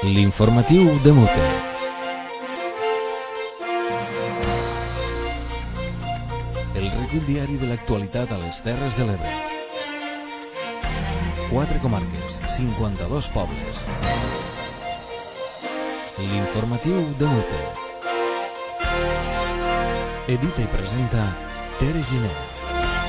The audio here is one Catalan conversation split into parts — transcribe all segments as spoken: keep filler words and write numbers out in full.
L'informatiu de Mute. El recull diari de l'actualitat a les Terres de l'Ebre. Quatre comarques, cinquanta-dos pobles. L'informatiu de Mute. Edita i presenta Tere Giner.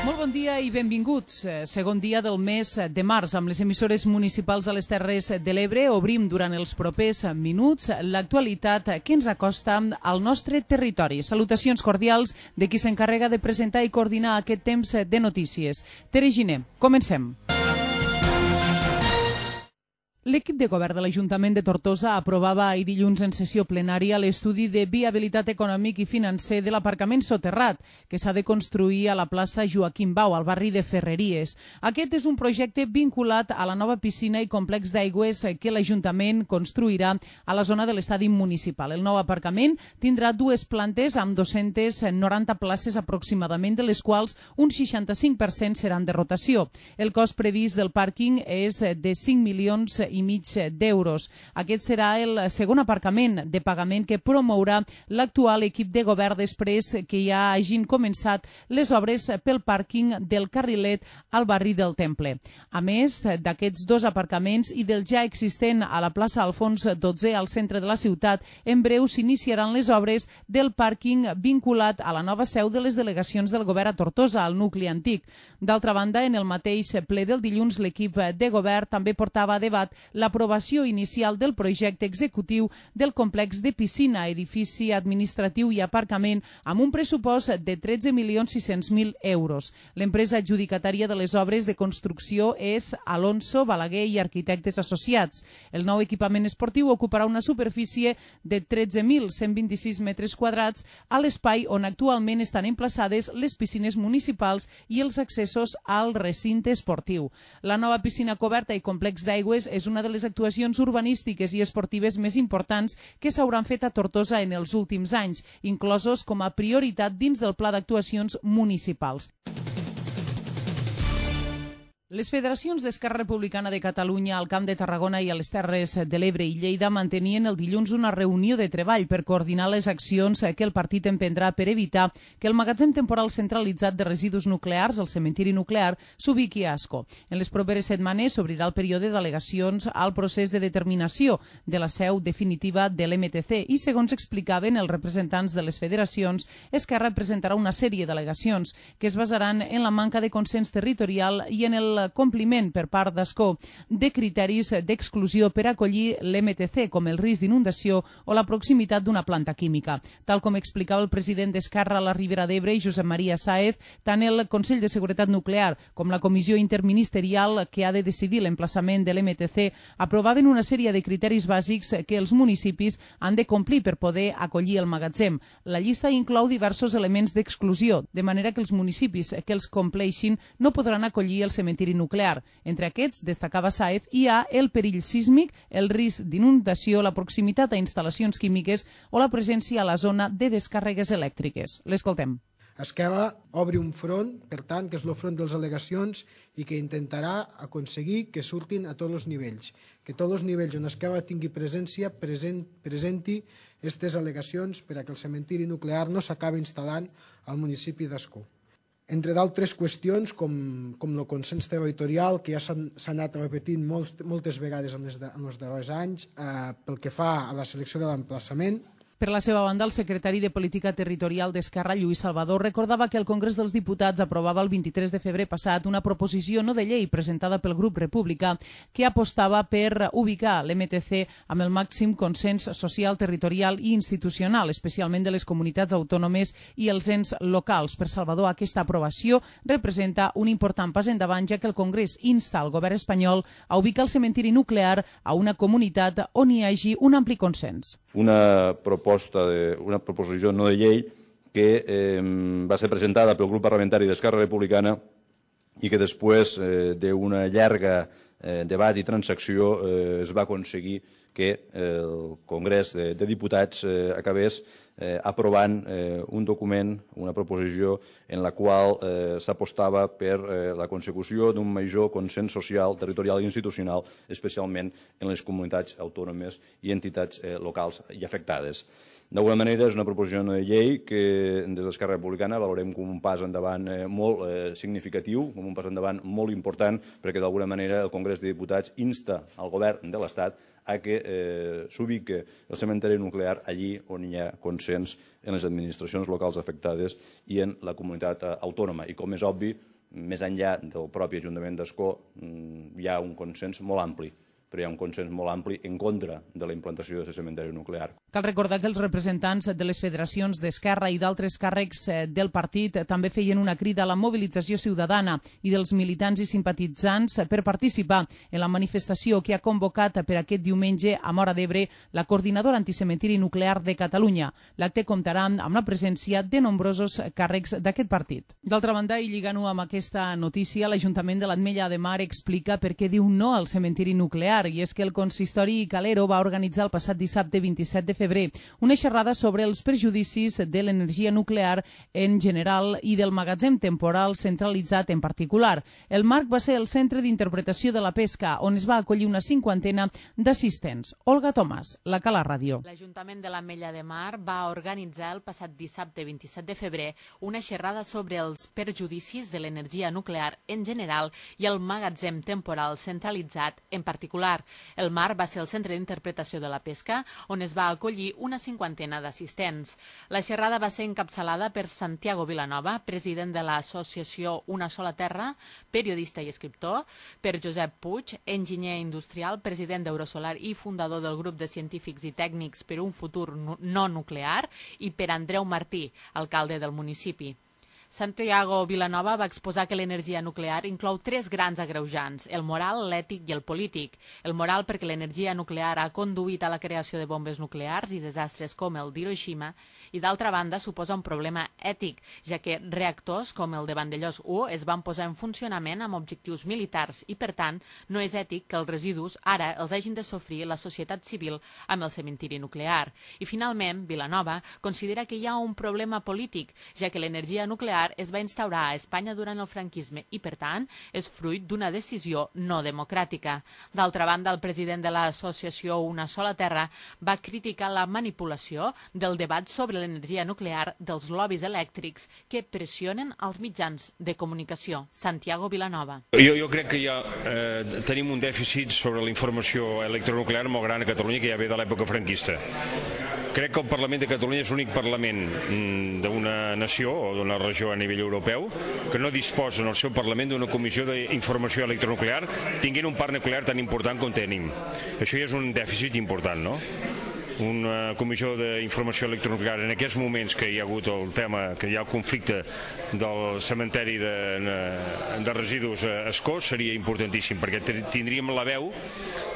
Molt bon dia i benvinguts. Segon dia del mes de març. Amb les emissores municipals de les Terres de l'Ebre obrim durant els propers minuts l'actualitat que ens acosta al nostre territori. Salutacions cordials de qui s'encarrega de presentar i coordinar aquest temps de notícies. Tere Giner, comencem. L'equip de govern de l'Ajuntament de Tortosa aprovava ahir dilluns en sessió plenària l'estudi de viabilitat econòmic i financer de l'aparcament soterrat que s'ha de construir a la plaça Joaquim Bau, al barri de Ferreries. Aquest és un projecte vinculat a la nova piscina i complex d'aigües que l'Ajuntament construirà a la zona de l'estadi municipal. El nou aparcament tindrà dues plantes amb dos-centes noranta places aproximadament, de les quals un seixanta-cinc per cent seran de rotació. El cost previst del pàrquing és de cinc milions i mig d'euros. Aquest serà el segon aparcament de pagament que promourà l'actual equip de govern després que ja hagin començat les obres pel pàrquing del Carrilet al barri del Temple. A més d'aquests dos aparcaments i del ja existent a la plaça Alfons dotze al centre de la ciutat, en breu s'iniciaran les obres del pàrquing vinculat a la nova seu de les delegacions del govern a Tortosa, al nucli antic. D'altra banda, en el mateix ple del dilluns, l'equip de govern també portava a debat l'aprovació inicial del projecte executiu del complex de piscina, edifici administratiu i aparcament amb un pressupost de tretze milions sis-cents mil euros. L'empresa adjudicatària de les obres de construcció és Alonso, Balaguer i Arquitectes Associats. El nou equipament esportiu ocuparà una superfície de tretze mil cent vint-i-sis metres quadrats a l'espai on actualment estan emplaçades les piscines municipals i els accessos al recinte esportiu. La nova piscina coberta i complex d'aigües és una una de les actuacions urbanístiques i esportives més importants que s'hauran fet a Tortosa en els últims anys, inclosos com a prioritat dins del pla d'actuacions municipals. Les federacions d'Esquerra Republicana de Catalunya al Camp de Tarragona i a les Terres de l'Ebre i Lleida mantenien el dilluns una reunió de treball per coordinar les accions que el partit emprendrà per evitar que el magatzem temporal centralitzat de residus nuclears, el cementiri nuclear, s'ubiqui a Ascó. En les properes setmanes s'obrirà el període d'al·legacions al procés de determinació de la seu definitiva de l'M T C i, segons explicaven els representants de les federacions, Esquerra presentarà una sèrie d'al·legacions que es basaran en la manca de consens territorial i en el compliment per part d'Ascó de criteris d'exclusió per acollir l'M T C, com el risc d'inundació o la proximitat d'una planta química. Tal com explicava el president d'Esquerra a la Ribera d'Ebre, Josep Maria Sáez, tant el Consell de Seguretat Nuclear com la Comissió Interministerial que ha de decidir l'emplaçament de l'M T C aprovaven una sèrie de criteris bàsics que els municipis han de complir per poder acollir el magatzem. La llista inclou diversos elements d'exclusió, de manera que els municipis que els compleixin no podran acollir el cementiri nuclear. Entre aquests, destacava Sáez, hi ha el perill sísmic, el risc d'inundació, la proximitat a instal·lacions químiques o la presència a la zona de descàrregues elèctriques. L'escoltem. Esquerra obre un front, per tant, que és el front de les al·legacions i que intentarà aconseguir que surtin a tots els nivells, que tots els nivells on Esquerra tingui presència present, presenti aquestes al·legacions per a que el cementiri nuclear no s'acabi instal·lant al municipi d'Ascó. Entre d'altres qüestions, com, com el consens territorial, que ja s'ha anat repetint molts, moltes vegades en els, en els darrers anys, eh, pel que fa a la selecció de l'emplaçament. Per la seva banda, el secretari de Política Territorial d'Esquerra, Lluís Salvador, recordava que el Congrés dels Diputats aprovava el vint-i-tres de febrer passat una proposició no de llei presentada pel grup republicà que apostava per ubicar l'M T C amb el màxim consens social, territorial i institucional, especialment de les comunitats autònomes i els ens locals. Per Salvador, aquesta aprovació representa un important pas endavant, ja que el Congrés insta al govern espanyol a ubicar el cementiri nuclear a una comunitat on hi hagi un ampli consens. Una proposta de, una proposició no de llei que eh, va ser presentada pel grup parlamentari d'Esquerra Republicana i que després eh, d'una llarga eh, debat i transacció eh, es va aconseguir que el Congrés de, de Diputats eh, acabés eh, aprovant eh, un document, una proposició en la qual eh, s'apostava per eh, la consecució d'un major consens social, territorial i institucional, especialment en les comunitats autònomes i entitats eh, locals i afectades. D'alguna manera, és una proposició de llei que des d'Esquerra Republicana valorem com un pas endavant eh, molt eh, significatiu, com un pas endavant molt important, perquè d'alguna manera el Congrés de Diputats insta al govern de l'Estat a que eh, s'ubique el cementeri nuclear allí on hi ha consens en les administracions locals afectades i en la comunitat autònoma. I com és obvi, més enllà del propi Ajuntament d'Ascó, hi ha un consens molt ampli, però hi ha un consens molt ampli en contra de la implantació d'aquest cementeri nuclear. Cal recordar que els representants de les federacions d'Esquerra i d'altres càrrecs del partit també feien una crida a la mobilització ciutadana i dels militants i simpatitzants per participar en la manifestació que ha convocat per aquest diumenge a Móra d'Ebre la coordinadora anticementiri nuclear de Catalunya. L'acte comptarà amb la presència de nombrosos càrrecs d'aquest partit. D'altra banda, i lligant-ho amb aquesta notícia, l'Ajuntament de l'Ametlla de Mar explica per què diu no al cementiri nuclear, i és que el consistori Calero va organitzar el passat dissabte vint-i-set de febrer una xerrada sobre els perjudicis de l'energia nuclear en general i del magatzem temporal centralitzat en particular. El marc va ser el centre d'interpretació de la pesca, on es va acollir una cinquantena d'assistents. Olga Tomàs, la Cala Ràdio. L'Ajuntament de l'Ametlla de Mar va organitzar el passat dissabte vint-i-set de febrer una xerrada sobre els perjudicis de l'energia nuclear en general i el magatzem temporal centralitzat en particular. El mar va ser el centre d'interpretació de la pesca, on es va acollir una cinquantena d'assistents. La xerrada va ser encapçalada per Santiago Vilanova, president de l'associació Una Sola Terra, periodista i escriptor, per Josep Puig, enginyer industrial, president d'Eurosolar i fundador del grup de científics i tècnics per un futur no nuclear, i per Andreu Martí, alcalde del municipi. Santiago Vilanova va exposar que l'energia nuclear inclou tres grans agreujants, el moral, l'ètic i el polític. El moral perquè l'energia nuclear ha conduït a la creació de bombes nuclears i desastres com el d'Hiroshima, i d'altra banda suposa un problema ètic, ja que reactors com el de Vandellós u es van posar en funcionament amb objectius militars i, per tant, no és ètic que els residus ara els hagin de sofrir la societat civil amb el cementiri nuclear. I, finalment, Vilanova considera que hi ha un problema polític, ja que l'energia nuclear es va instaurar a Espanya durant el franquisme i, per tant, és fruit d'una decisió no democràtica. D'altra banda, el president de l'associació Una Sola Terra va criticar la manipulació del debat sobre l'energia nuclear dels lobbies elèctrics que pressionen els mitjans de comunicació. Santiago Vilanova. Jo, jo crec que ja eh, tenim un dèficit sobre la informació electronuclear molt gran a Catalunya, que ja ve de l'època franquista. Crec que el Parlament de Catalunya és l'únic Parlament d'una nació o d'una regió a nivell europeu que no disposa en el seu Parlament d'una comissió d'informació electronuclear tinguent un parc nuclear tan important com tenim. Això ja és un dèficit important, no? Una comissió d'informació electronuclear en aquests moments que hi ha hagut el tema, que hi ha el conflicte del cementeri de, de residus a Ascó seria importantíssim, perquè tindríem la veu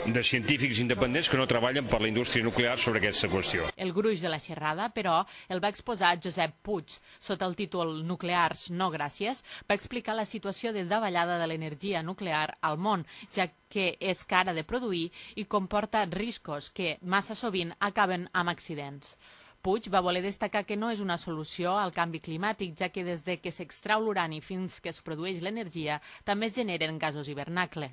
de científics independents que no treballen per la indústria nuclear sobre aquesta qüestió. El gruix de la xerrada, però, el va exposar Josep Puig. Sota el títol Nuclears no gràcies, va explicar la situació de davallada de l'energia nuclear al món, ja que és cara de produir i comporta riscos que, massa sovint, acaben amb accidents. Puig va voler destacar que no és una solució al canvi climàtic, ja que des de que s'extrau l'urani fins que es produeix l'energia també es generen gasos hivernacle.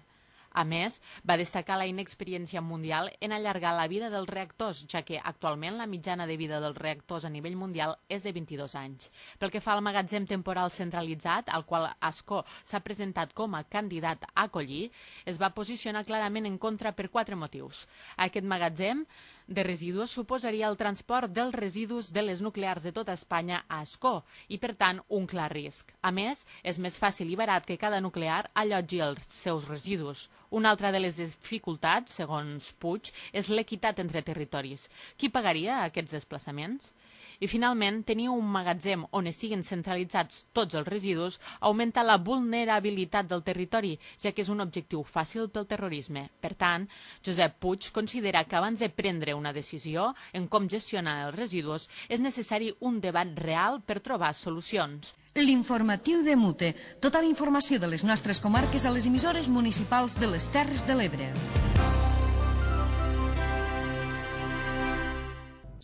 A més, va destacar la inexperiència mundial en allargar la vida dels reactors, ja que actualment la mitjana de vida dels reactors a nivell mundial és de vint-i-dos anys. Pel que fa al magatzem temporal centralitzat, al qual Ascó s'ha presentat com a candidat a acollir, es va posicionar clarament en contra per quatre motius. Aquest magatzem de residus suposaria el transport dels residus de les nuclears de tota Espanya a Ascó i, per tant, un clar risc. A més, és més fàcil i barat que cada nuclear allotgi els seus residus. Una altra de les dificultats, segons Puig, és l'equitat entre territoris. Qui pagaria aquests desplaçaments? I, finalment, tenir un magatzem on estiguen centralitzats tots els residus augmenta la vulnerabilitat del territori, ja que és un objectiu fàcil pel terrorisme. Per tant, Josep Puig considera que abans de prendre una decisió en com gestionar els residus és necessari un debat real per trobar solucions. L'informatiu de Mute. Tota la informació de les nostres comarques a les emissores municipals de les Terres de l'Ebre.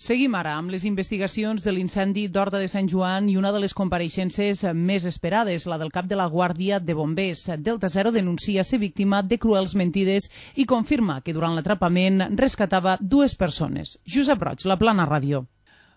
Seguim ara amb les investigacions de l'incendi d'Horta de Sant Joan i una de les compareixences més esperades, la del cap de la Guàrdia de Bombers. Delta Zero denuncia ser víctima de cruels mentides i confirma que durant l'atrapament rescatava dues persones. Josep Roig, La Plana Ràdio.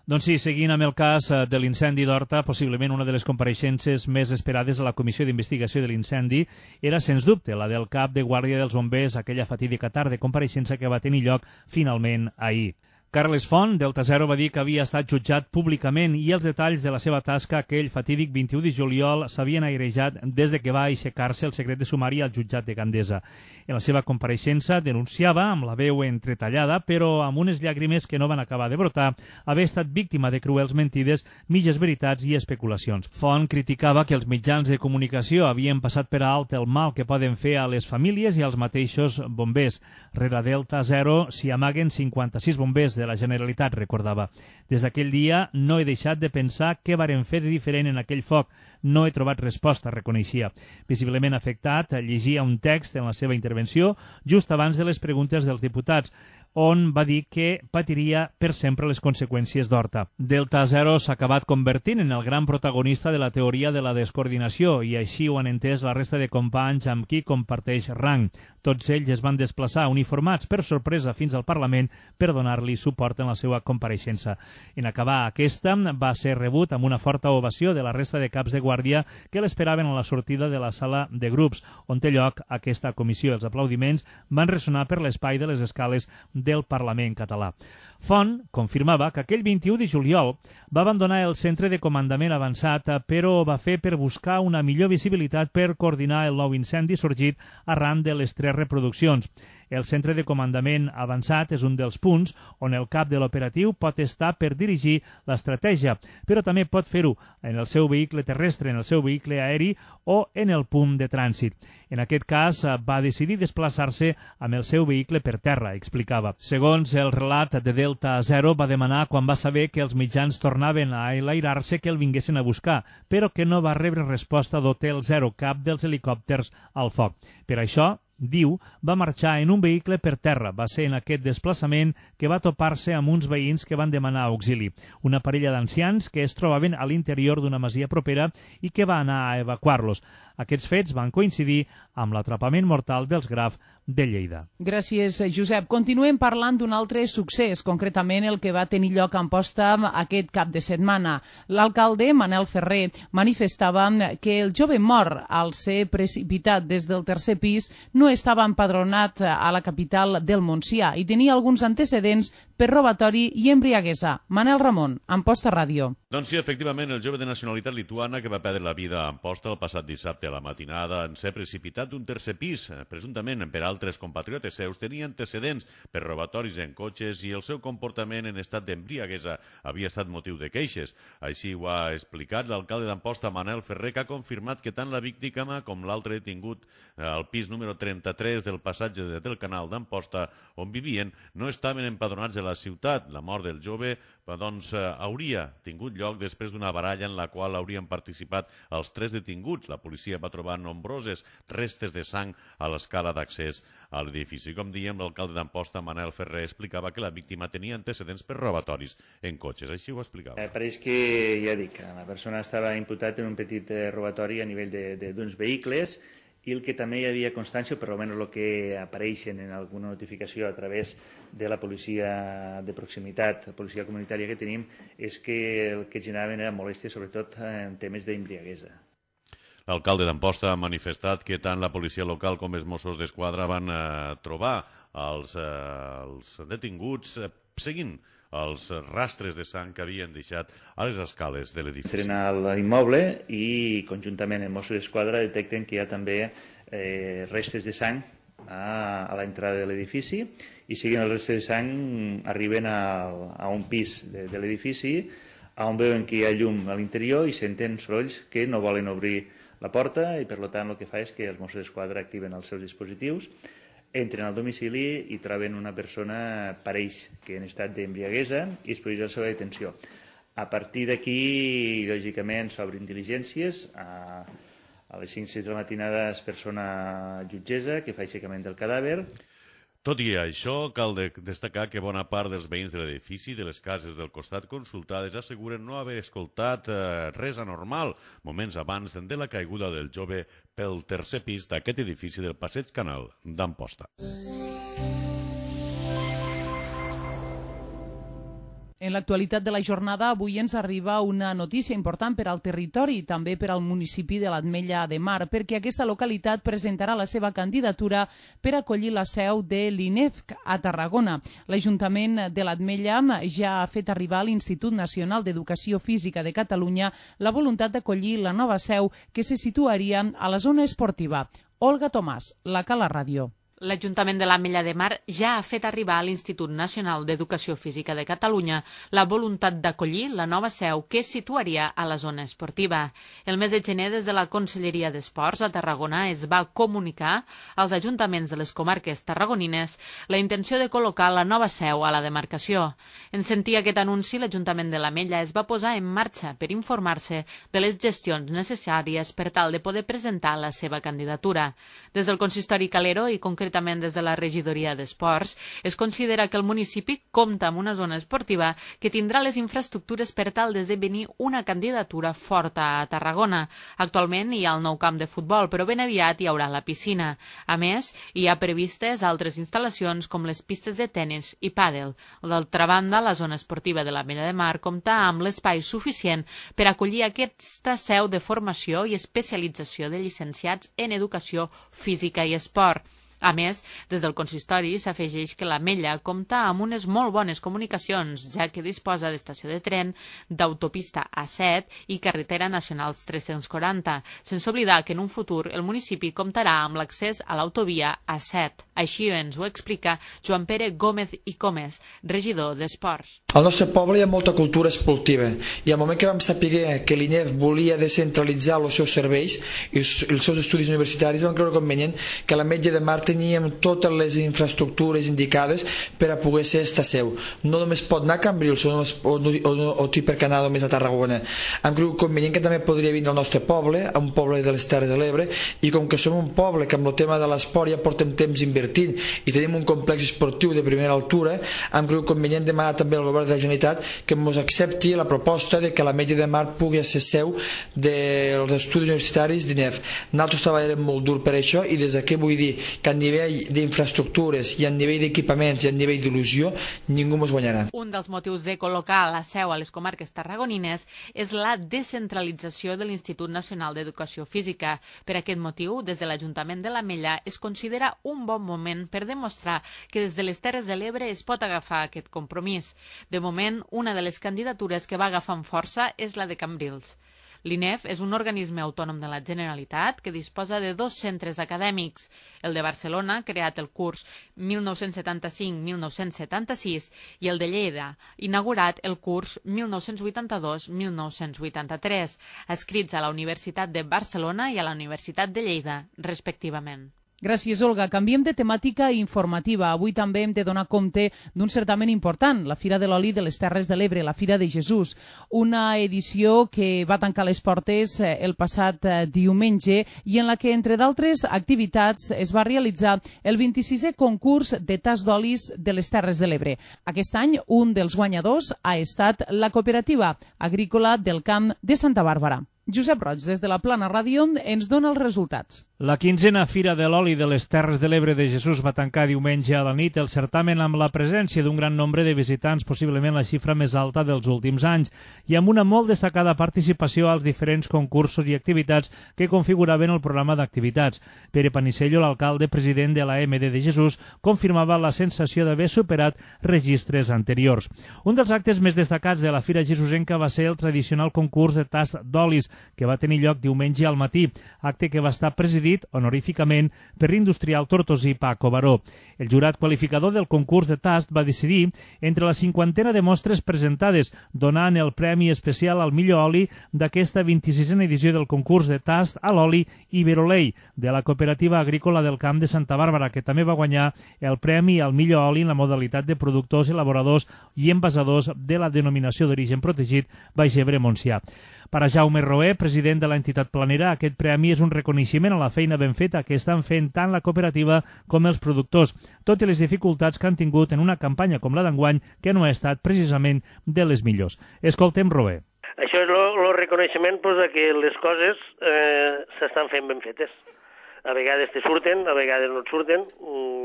Doncs sí, seguint amb el cas de l'incendi d'Horta, possiblement una de les compareixences més esperades a la Comissió d'Investigació de l'Incendi era, sens dubte, la del cap de Guàrdia dels Bombers, aquella fatídica tarda de compareixença que va tenir lloc finalment ahir. Carles Font, Delta Zero, va dir que havia estat jutjat públicament i els detalls de la seva tasca aquell fatídic vint-i-u de juliol s'havien airejat des de que va aixecar-se el secret de sumari al jutjat de Gandesa. En la seva compareixença denunciava, amb la veu entretallada, però amb unes llàgrimes que no van acabar de brotar, haver estat víctima de cruels mentides, mitges veritats i especulacions. Font criticava que els mitjans de comunicació havien passat per alt el mal que poden fer a les famílies i als mateixos bombers. Rere Delta Zero s'hi amaguen cinquanta-sis bombers de la Generalitat, recordava. Des d'aquell dia no he deixat de pensar què varen fer de diferent en aquell foc. No he trobat resposta, reconeixia. Visiblement afectat, llegia un text en la seva intervenció just abans de les preguntes dels diputats, on va dir que patiria per sempre les conseqüències d'Horta. Delta Zero s'ha acabat convertint en el gran protagonista de la teoria de la descoordinació i així ho han entès la resta de companys amb qui comparteix rang. Tots ells es van desplaçar uniformats per sorpresa fins al Parlament per donar-li suport en la seva compareixença. En acabar aquesta, va ser rebut amb una forta ovació de la resta de caps de guàrdia que l'esperaven a la sortida de la sala de grups, on té lloc aquesta comissió. Els aplaudiments van ressonar per l'espai de les escales del Parlament català. Font confirmava que aquell vint-i-u de juliol va abandonar el centre de comandament avançat, però ho va fer per buscar una millor visibilitat per coordinar el nou incendi sorgit arran de les tres reproduccions. El centre de comandament avançat és un dels punts on el cap de l'operatiu pot estar per dirigir l'estratègia, però també pot fer-ho en el seu vehicle terrestre, en el seu vehicle aeri o en el punt de trànsit. En aquest cas, va decidir desplaçar-se amb el seu vehicle per terra, explicava. Segons el relat de Delta Zero, va demanar quan va saber que els mitjans tornaven a enlairar-se que el vinguessin a buscar, però que no va rebre resposta d'Hotel Zero, cap dels helicòpters al foc. Per això, diu, va marxar en un vehicle per terra. Va ser en aquest desplaçament que va topar-se amb uns veïns que van demanar auxili. Una parella d'ancians que es trobaven a l'interior d'una masia propera i que va anar a evacuar-los. Aquests fets van coincidir amb l'atrapament mortal dels Graf de Lleida. Gràcies, Josep. Continuem parlant d'un altre succés, concretament el que va tenir lloc a Amposta aquest cap de setmana. L'alcalde, Manel Ferrer, manifestava que el jove mort, al ser precipitat des del tercer pis, no estava empadronat a la capital del Montsià i tenia alguns antecedents per robatori i embriaguesa. Manel Ramon, Amposta Ràdio. Doncs sí, efectivament, el jove de nacionalitat lituana que va perdre la vida a Amposta el passat dissabte a la matinada en ser precipitat d'un tercer pis, presumptament per altres compatriotes seus, tenia antecedents per robatoris en cotxes i el seu comportament en estat d'embriaguesa havia estat motiu de queixes. Així ho ha explicat l'alcalde d'Amposta, Manel Ferrer, que ha confirmat que tant la víctima com l'altre detingut al pis número trenta-tres del passatge del Canal d'Amposta, on vivien, no estaven empadronats a la ciutat. La mort del jove doncs, hauria tingut lloc després d'una baralla en la qual haurien participat els tres detinguts. La policia va trobar nombroses restes de sang a l'escala d'accés a l'edifici. Com diem, l'alcalde d'Amposta, Manel Ferrer, explicava que la víctima tenia antecedents per robatoris en cotxes. Així ho explicava. Eh, pareix que, ja dic, la persona estava imputat en un petit eh, robatori a nivell d'uns vehicles i el que també hi havia constància, per almenys el que apareixen en alguna notificació a través de la policia de proximitat, la policia comunitària que tenim, és que el que generaven era molèstia, sobretot en temes d'embriaguesa. L'alcalde d'Amposta ha manifestat que tant la policia local com els Mossos d'Esquadra van eh, trobar els, eh, els detinguts eh, seguint els rastres de sang que havien deixat a les escales de l'edifici. Entren a l'immoble i conjuntament amb Mossos d'Esquadra detecten que hi ha també eh, restes de sang a, a l'entrada de l'edifici i seguint els restes de sang arriben a, a un pis de, de l'edifici on veuen que hi ha llum a l'interior i senten sorolls que no volen obrir la porta i per tant el que fa és que els Mossos d'Esquadra activen els seus dispositius, entren al domicili i troben una persona, pareix que en estat d'embriaguesa, i es produeix la seva detenció. A partir d'aquí, lògicament, s'obren diligències. A, a les cinc o sis de la matinada es persona jutgessa que fa aixecament del cadàver. Tot i això, cal de destacar que bona part dels veïns de l'edifici de les cases del costat consultades asseguren no haver escoltat eh, res anormal moments abans de la caiguda del jove pel tercer pis d'aquest edifici del Passeig Canal d'Amposta. En l'actualitat de la jornada, avui ens arriba una notícia important per al territori i també per al municipi de l'Ametlla de Mar, perquè aquesta localitat presentarà la seva candidatura per acollir la seu de l'I N E F C a Tarragona. L'Ajuntament de l'Ametlla ja ha fet arribar a l'Institut Nacional d'Educació Física de Catalunya la voluntat d'acollir la nova seu que se situaria a la zona esportiva. Olga Tomàs, la Cala Ràdio. L'Ajuntament de l'Ametlla de Mar ja ha fet arribar a l'Institut Nacional d'Educació Física de Catalunya la voluntat d'acollir la nova seu que es situaria a la zona esportiva. El mes de gener, des de la Conselleria d'Esports a Tarragona es va comunicar als ajuntaments de les comarques tarragonines la intenció de col·locar la nova seu a la demarcació. En sentir aquest anunci, l'Ajuntament de l'Ametlla es va posar en marxa per informar-se de les gestions necessàries per tal de poder presentar la seva candidatura. Des del consistori Calero i concretament concretament des de la regidoria d'Esports, es considera que el municipi compta amb una zona esportiva que tindrà les infraestructures per tal d'esdevenir una candidatura forta a Tarragona. Actualment hi ha el nou camp de futbol, però ben aviat hi haurà la piscina. A més, hi ha previstes altres instal·lacions com les pistes de tenis i pàdel. D'altra banda, la zona esportiva de l'Ametlla de Mar compta amb l'espai suficient per acollir aquesta seu de formació i especialització de llicenciats en educació física i esport. A més, des del consistori s'afegeix que l'Ametlla compta amb unes molt bones comunicacions, ja que disposa d'estació de tren, d'autopista A set i carretera nacionals tres-cents quaranta, sense oblidar que en un futur el municipi comptarà amb l'accés a l'autovia A set. Així ens ho explica Joan Pere Gómez i Comes, regidor d'Esports. Al nostre poble hi ha molta cultura esportiva i al moment que vam saber que l'I N E F volia descentralitzar els seus serveis i els seus estudis universitaris, vam creure convenient que l'Ametlla de Mar teníem totes les infraestructures indicades per a poder ser esta seu. No només pot anar a Cambrils o, o, o, o té per anar només a Tarragona. Hem cregut convenient que també podria vindre al nostre poble, a un poble de les Terres de l'Ebre, i com que som un poble que amb el tema de l'esport ja portem temps invertint i tenim un complex esportiu de primera altura, hem cregut convenient demanar també al govern de la Generalitat que ens accepti la proposta de que l'Ametlla de Mar pugui ser seu dels estudis universitaris d'I N E F. Nosaltres treballarem molt dur per això i des d'aquí vull dir que a nivell d'infraestructures i a nivell d'equipaments i a nivell d'il·lusió ningú ens guanyarà. Un dels motius de col·locar la seu a les comarques tarragonines és la descentralització de l'Institut Nacional d'Educació Física. Per aquest motiu, des de l'Ajuntament de l'Ametlla es considera un bon moment per demostrar que des de les Terres de l'Ebre es pot agafar aquest compromís. De moment, una de les candidatures que va agafant força és la de Cambrils. L'I N E F és un organisme autònom de la Generalitat que disposa de dos centres acadèmics, el de Barcelona, creat el curs mil nou-cents setanta-cinc mil nou-cents setanta-sis, i el de Lleida, inaugurat el curs mil nou-cents vuitanta-dos mil nou-cents vuitanta-tres, adscrits a la Universitat de Barcelona i a la Universitat de Lleida, respectivament. Gràcies, Olga. Canviem de temàtica informativa. Avui també hem de donar compte d'un certament important, la Fira de l'Oli de les Terres de l'Ebre, la Fira de Jesús. Una edició que va tancar les portes el passat diumenge i en la que, entre d'altres activitats, es va realitzar el vint-i-sisè concurs de tas d'olis de les Terres de l'Ebre. Aquest any, un dels guanyadors ha estat la Cooperativa Agrícola del Camp de Santa Bàrbara. Josep Roig, des de la Plana Ràdio, ens dona els resultats. La quinzena Fira de l'Oli de les Terres de l'Ebre de Jesús va tancar diumenge a la nit el certamen amb la presència d'un gran nombre de visitants, possiblement la xifra més alta dels últims anys, i amb una molt destacada participació als diferents concursos i activitats que configuraven el programa d'activitats. Pere Panicello, l'alcalde president de la M D de Jesús, confirmava la sensació d'haver superat registres anteriors. Un dels actes més destacats de la Fira Jesusenca va ser el tradicional concurs de tas d'olis, que va tenir lloc diumenge al matí, acte que va estar presidit honoríficament per l'industrial tortosí Paco Baró. El jurat qualificador del concurs de tast va decidir entre la cinquantena de mostres presentades, donant el premi especial al millor oli d'aquesta vint-i-sisena edició del concurs de tast a l'oli Iberolei, de la Cooperativa Agrícola del Camp de Santa Bàrbara, que també va guanyar el premi al millor oli en la modalitat de productors, elaboradors i envasadors de la denominació d'origen protegit Baix Ebre Montsià. Per a Jaume Roé, president de l'entitat planera, aquest premi és un reconeixement a la feina ben feta que estan fent tant la cooperativa com els productors, tot i les dificultats que han tingut en una campanya com la d'enguany, que no ha estat precisament de les millors. Escoltem Roé. Això és el reconeixement pues, que les coses eh, s'estan fent ben fetes. A vegades te surten, a vegades no et surten.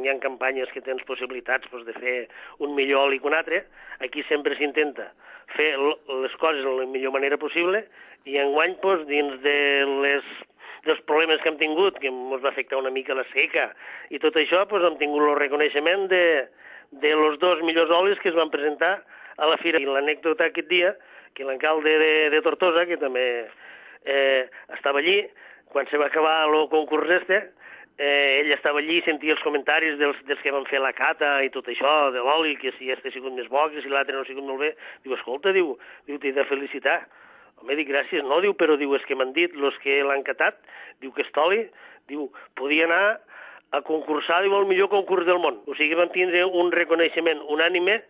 Hi ha campanyes que tens possibilitats pues, de fer un millor oli que un altre. Aquí sempre s'intenta fer les coses de la millor manera possible i enguany, pues, dins de les, dels problemes que hem tingut, que ens va afectar una mica la seca i tot això, pues, hem tingut el reconeixement de, de los dos millors olis que es van presentar a la fira. I l'anècdota aquest dia, que l'alcalde de, de Tortosa, que també eh, estava allí, quan se va acabar el concurs este, eh, ell estava allí i sentia els comentaris dels, dels que van fer la cata i tot això, de l'oli, que si este ha sigut més bo, que si l'altre no ha sigut molt bé. Diu, escolta, diu, diu t'he de felicitar. Home, dic, gràcies, no, diu, però diu, és que m'han dit, els que l'han catat, diu que aquest oli, diu, podia anar a concursar, diu, el millor concurs del món. O sigui, van tindre un reconeixement unànime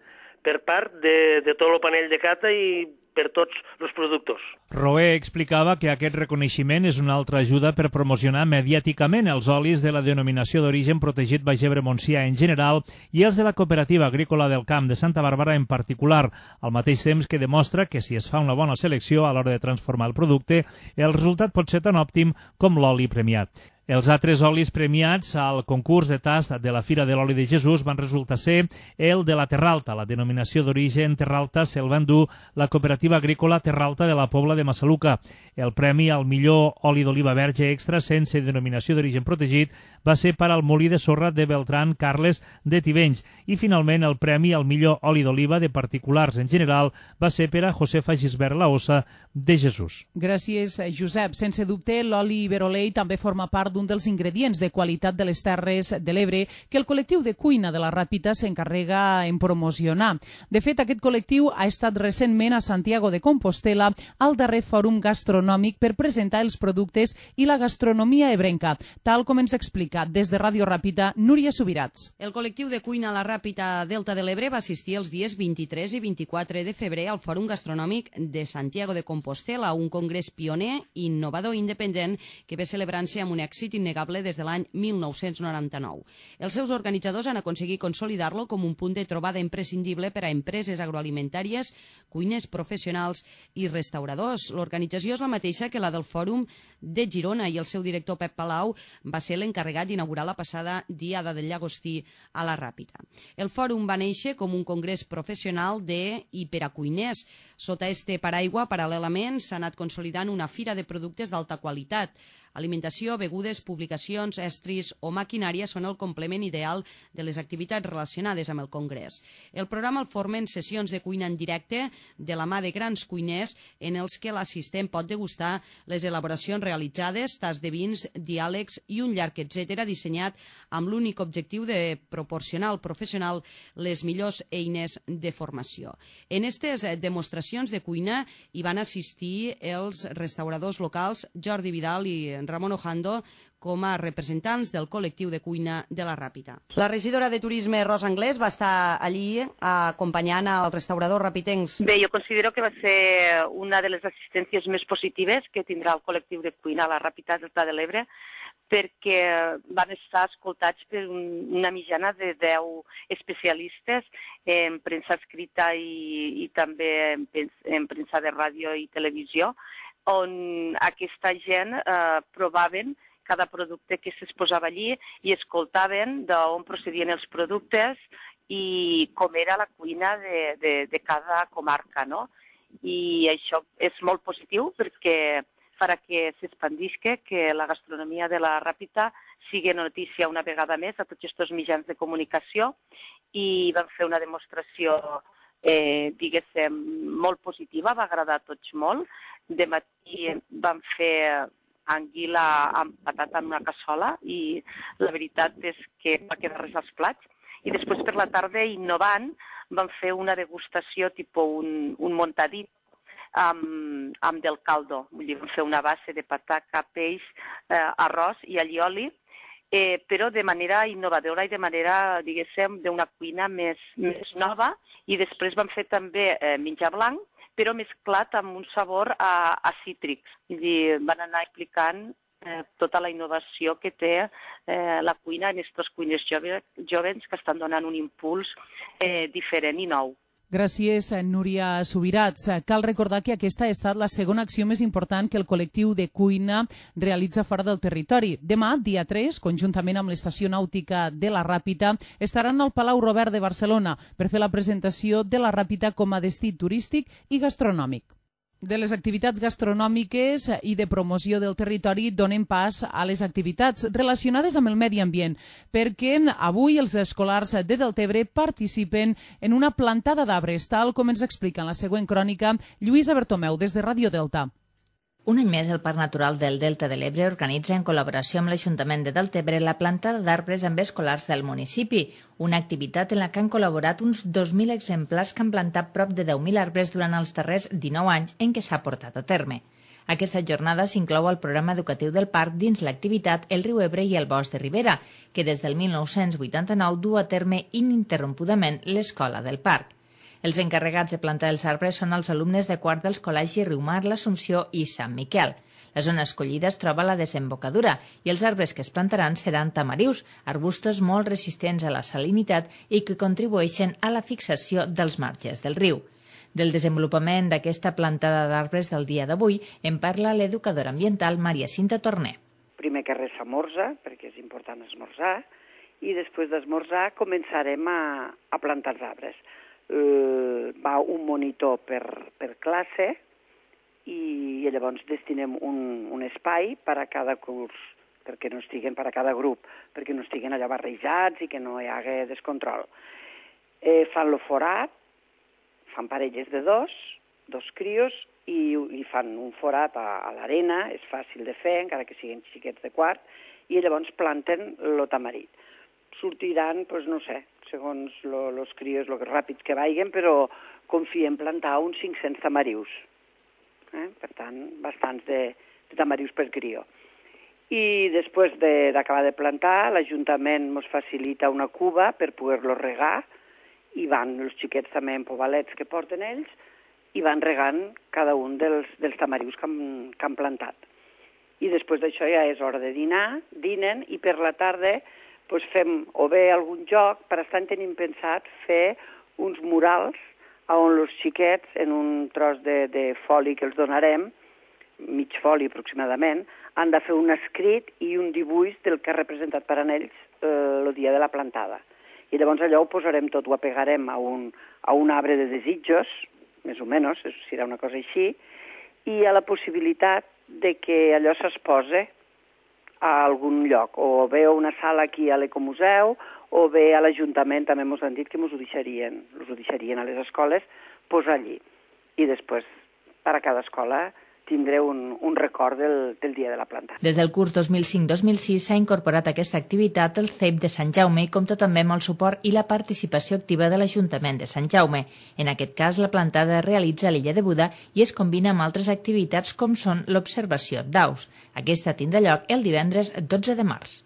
per part de, de tot el panell de cata i per tots els productors. Roé explicava que aquest reconeixement és una altra ajuda per promocionar mediàticament els olis de la denominació d'origen protegit Baix Ebre-Montsià en general i els de la Cooperativa Agrícola del Camp de Santa Bàrbara en particular, al mateix temps que demostra que si es fa una bona selecció a l'hora de transformar el producte, el resultat pot ser tan òptim com l'oli premiat. Els altres olis premiats al concurs de tast de la Fira de l'Oli de Jesús van resultar ser el de la Terralta. La denominació d'origen Terralta se'l va endur la Cooperativa Agrícola Terralta de la Pobla de Massaluca. El premi al millor oli d'oliva verge extra sense denominació d'origen protegit va ser per al molí de sorra de Beltrán Carles de Tivenys. I finalment el premi al millor oli d'oliva de particulars en general va ser per a Josefa Gisbert Laossa de Jesús. Gràcies, Josep. Sense dubte, l'oli Iberolei també forma part d'un dels ingredients de qualitat de les Terres de l'Ebre que el col·lectiu de cuina de la Ràpita s'encarrega en promocionar. De fet, aquest col·lectiu ha estat recentment a Santiago de Compostela al darrer fòrum gastronòmic per presentar els productes i la gastronomia ebrenca, tal com ens ha explicat des de Ràdio Ràpita Núria Subirats. El col·lectiu de cuina La Ràpita Delta de l'Ebre va assistir els dies vint-i-tres i vint-i-quatre de febrer al fòrum gastronòmic de Santiago de Compostela, un congrés pioner, innovador i independent que ve celebrant-se amb un èxit innegable des de l'any mil nou-cents noranta-nou. Els seus organitzadors han aconseguit consolidar-lo com un punt de trobada imprescindible per a empreses agroalimentàries, cuiners professionals i restauradors. L'organització és la mateixa que la del Fòrum de Girona i el seu director Pep Palau va ser l'encarregat d'inaugurar la passada Diada del Llagostí a la Ràpita. El fòrum va néixer com un congrés professional de i per a cuiners. Sota este paraigua, paral·lelament, s'ha anat consolidant una fira de productes d'alta qualitat. Alimentació, begudes, publicacions, estris o maquinària són el complement ideal de les activitats relacionades amb el congrés. El programa el formen sessions de cuina en directe de la mà de grans cuiners en els que l'assistent pot degustar les elaboracions realitzades, tas de vins, diàlegs i un llarg etcètera dissenyat amb l'únic objectiu de proporcionar al professional les millors eines de formació. En aquestes demostracions de cuina hi van assistir els restauradors locals Jordi Vidal i Ramon Ojando com a representants del col·lectiu de cuina de la Ràpita. La regidora de Turisme, Rosa Anglès, va estar allí acompanyant al restaurador rapitencs. Bé, jo considero que va ser una de les assistències més positives que tindrà el col·lectiu de cuina a la Ràpita Delta de l'Ebre, perquè van estar escoltats per una mitjana de deu especialistes en premsa escrita i, i també en, en premsa de ràdio i televisió, on aquesta gent eh, provaven cada producte que s'exposava allí i escoltaven d'on procedien els productes i com era la cuina de, de, de cada comarca, no? I això és molt positiu perquè farà que s'expandisca, que la gastronomia de la Ràpita sigui notícia una vegada més a tots aquests mitjans de comunicació i van fer una demostració, eh, diguéssim, molt positiva, va agradar a tots molt. De matí vam fer anguila amb patata en una cassola i la veritat és que va quedar res als plats. I després per la tarda, innovant, vam fer una degustació tipus un, un montadit amb, amb del caldo. Vull dir, vam fer una base de patata, peix, eh, arròs i allioli, eh, però de manera innovadora i de manera, diguéssim, d'una cuina més, més nova. I després vam fer també eh, menjar blanc, però mesclat amb un sabor a, a cítrics. I van anar explicant eh, tota la innovació que té eh, la cuina en aquestes cuines jove, joves que estan donant un impuls eh, diferent i nou. Gràcies, Núria Subirats. Cal recordar que aquesta ha estat la segona acció més important que el col·lectiu de cuina realitza fora del territori. Demà, dia tres, conjuntament amb l'Estació Nàutica de la Ràpita, estaran al Palau Robert de Barcelona per fer la presentació de la Ràpita com a destí turístic i gastronòmic. De les activitats gastronòmiques i de promoció del territori donen pas a les activitats relacionades amb el medi ambient, perquè avui els escolars de Deltebre participen en una plantada d'arbres, tal com ens explica en la següent crònica Lluïsa Bertomeu, des de Ràdio Delta. Un any més, el Parc Natural del Delta de l'Ebre organitza en col·laboració amb l'Ajuntament de Deltebre la plantada d'arbres amb escolars del municipi, una activitat en la que han col·laborat uns dos mil exemplars que han plantat prop de deu mil arbres durant els darrers dinou anys en què s'ha portat a terme. Aquesta jornada s'inclou al programa educatiu del parc dins l'activitat El riu Ebre i el Bosc de Ribera, que des del mil nou-cents vuitanta-nou du a terme ininterrompudament l'escola del parc. Els encarregats de plantar els arbres són els alumnes de quart dels col·legis Riumar, l'Assumpció i Sant Miquel. La zona escollida es troba a la desembocadura i els arbres que es plantaran seran tamarius, arbustos molt resistents a la salinitat i que contribueixen a la fixació dels marges del riu. Del desenvolupament d'aquesta plantada d'arbres del dia d'avui en parla l'educadora ambiental Maria Cinta Torner. Primer que res s'amorza, perquè és important esmorzar, i després d'esmorzar començarem a, a plantar els arbres. Uh, va un monitor per, per classe i, i llavors destinem un, un espai per a cada curs, perquè no estiguen per a cada grup, perquè no estiguen allà barrejats i que no hi hagi descontrol. Eh, fan lo forat, fan parelles de dos, dos crios, i, i fan un forat a, a l'arena, és fàcil de fer, encara que siguin xiquets de quart, i llavors planten lo tamarit. Sortiran, doncs no sé, segons els crios, el ràpid que vagin, però confiem plantar uns cinc-cents tamarius. Eh? Per tant, bastants de, de tamarius per crió. I després d'acabar de, de plantar, l'Ajuntament ens facilita una cuba per poder-los regar, i van els xiquets també en pobalets que porten ells, i van regant cada un dels, dels tamarius que han, que han plantat. I després d'això ja és hora de dinar, dinen, i per la tarda doncs fem o bé algun joc, per estar tenim pensat fer uns murals on els xiquets, en un tros de, de foli que els donarem, mig foli aproximadament, han de fer un escrit i un dibuix del que ha representat per a ells el eh, dia de la plantada. I llavors allò ho posarem tot, ho apegarem a un, a un arbre de desitjos, més o menys, serà una cosa així, i a la possibilitat de que allò s'exposa a algun lloc, o bé a una sala aquí a l'Ecomuseu, o bé a l'Ajuntament, també ens han dit que ens ho deixarien, us ho deixarien a les escoles, posar allí. I després, per a cada escola, tindreu un, un record del, del dia de la planta. Des del curs dos mil cinc dos mil sis s'ha incorporat a aquesta activitat el C E P de Sant Jaume i compta també amb el suport i la participació activa de l'Ajuntament de Sant Jaume. En aquest cas, la plantada es realitza a l'illa de Buda i es combina amb altres activitats com són l'observació d'aus. Aquesta tindrà lloc el divendres dotze de març.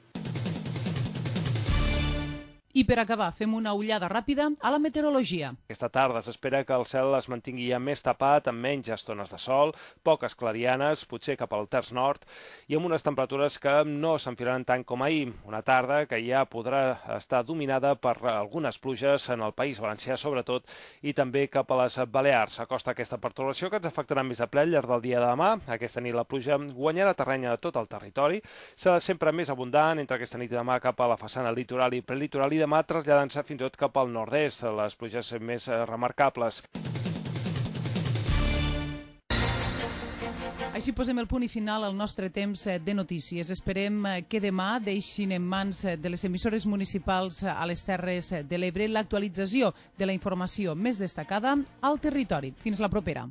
I per acabar, fem una ullada ràpida a la meteorologia. Aquesta tarda s'espera que el cel es mantingui ja més tapat, amb menys estones de sol, poques clarianes, potser cap al terç nord, i amb unes temperatures que no s'enfilaran tant com ahir. Una tarda que ja podrà estar dominada per algunes pluges en el País Valencià, sobretot, i també cap a les Balears. S'acosta aquesta pertorbació que ens afectarà més a ple al llarg del dia de demà. Aquesta nit la pluja guanyarà terreny a tot el territori. Serà sempre més abundant entre aquesta nit i demà cap a la façana litoral i prelitoral i demà traslladant-se fins i tot cap al nord-est, les pluges més remarcables. Així posem el punt i final al nostre temps de notícies. Esperem que demà deixin en mans de les emissores municipals a les Terres de l'Ebre l'actualització de la informació més destacada al territori. Fins la propera.